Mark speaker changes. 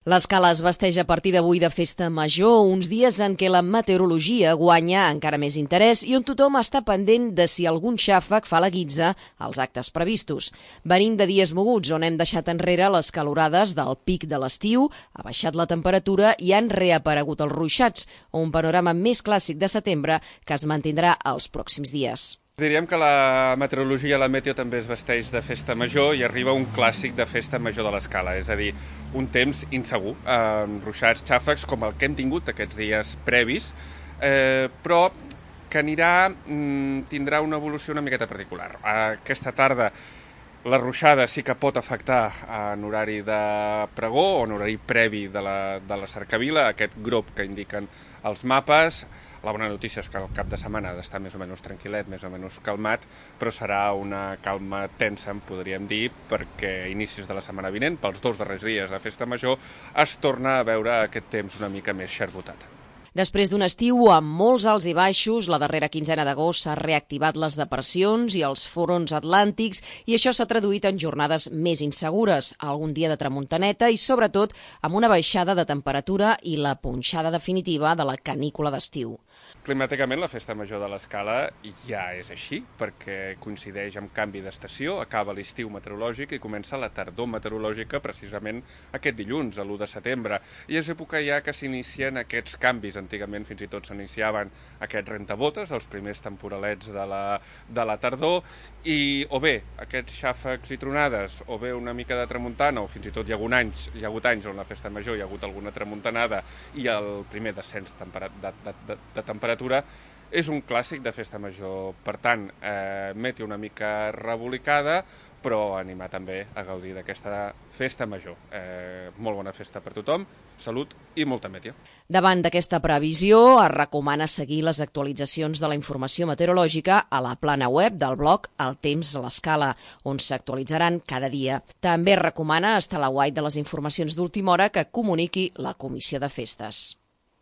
Speaker 1: L'Escala es vesteix a partir d'avui de festa major, uns dies en què la meteorologia guanya encara més interès i on tothom està pendent de si algun xàfec fa la guitza als actes previstos. Venim de dies moguts on hem deixat enrere les calorades del pic de l'estiu, ha baixat la temperatura i han reaparegut els ruixats, un panorama més clàssic de setembre que es mantindrà els pròxims dies.
Speaker 2: Diríem que la meteorologia, la meteo, també es vesteix de festa major i arriba un clàssic de festa major de l'Escala, és a dir, un temps insegur, amb ruixats, xàfecs, com el que hem tingut aquests dies previs, però que tindrà una evolució una miqueta particular. Aquesta tarda la ruixada sí que pot afectar en horari de pregó o en horari previ de la cercavila, aquest grup que indiquen els mapes. La bona notícia és que el cap de setmana ha d'estar més o menys tranquil·let, més o menys calmat, però serà una calma tensa, en podríem dir, perquè a inicis de la setmana vinent, pels 2 darrers dies de festa major, es torna a veure aquest temps una mica més xarbotat.
Speaker 1: Després d'un estiu amb molts alts i baixos, la darrera quinzena d'agost s'ha reactivat les depressions i els fronts atlàntics i això s'ha traduït en jornades més insegures, algun dia de tramuntaneta i sobretot amb una baixada de temperatura i la punxada definitiva de la canícula d'estiu.
Speaker 2: Climàticament la festa major de l'Escala ja és així, perquè coincideix amb canvi d'estació, acaba l'estiu meteorològic i comença la tardor meteorològica precisament aquest dilluns, l'1 de setembre, i és època ja que s'inicien aquests canvis. Antigament fins i tot s'iniciaven aquests rentabotes, els primers temporalets de la tardor, i o bé aquests xàfecs i tronades, o bé una mica de tramuntana, o fins i tot hi ha hagut anys on la festa major hi ha hagut alguna tramuntanada i el primer descens de temperatura, és un clàssic de festa major. Per tant, meteo una mica rebolicada, però animar també a gaudir d'aquesta festa major. Molt bona festa per tothom, salut i molta meteo.
Speaker 1: Davant d'aquesta previsió, es recomana seguir les actualitzacions de la informació meteorològica a la plana web del blog El Temps a l'Escala, on s'actualitzaran cada dia. També es recomana estar a l'aguait de les informacions d'última hora que comuniqui la Comissió de Festes.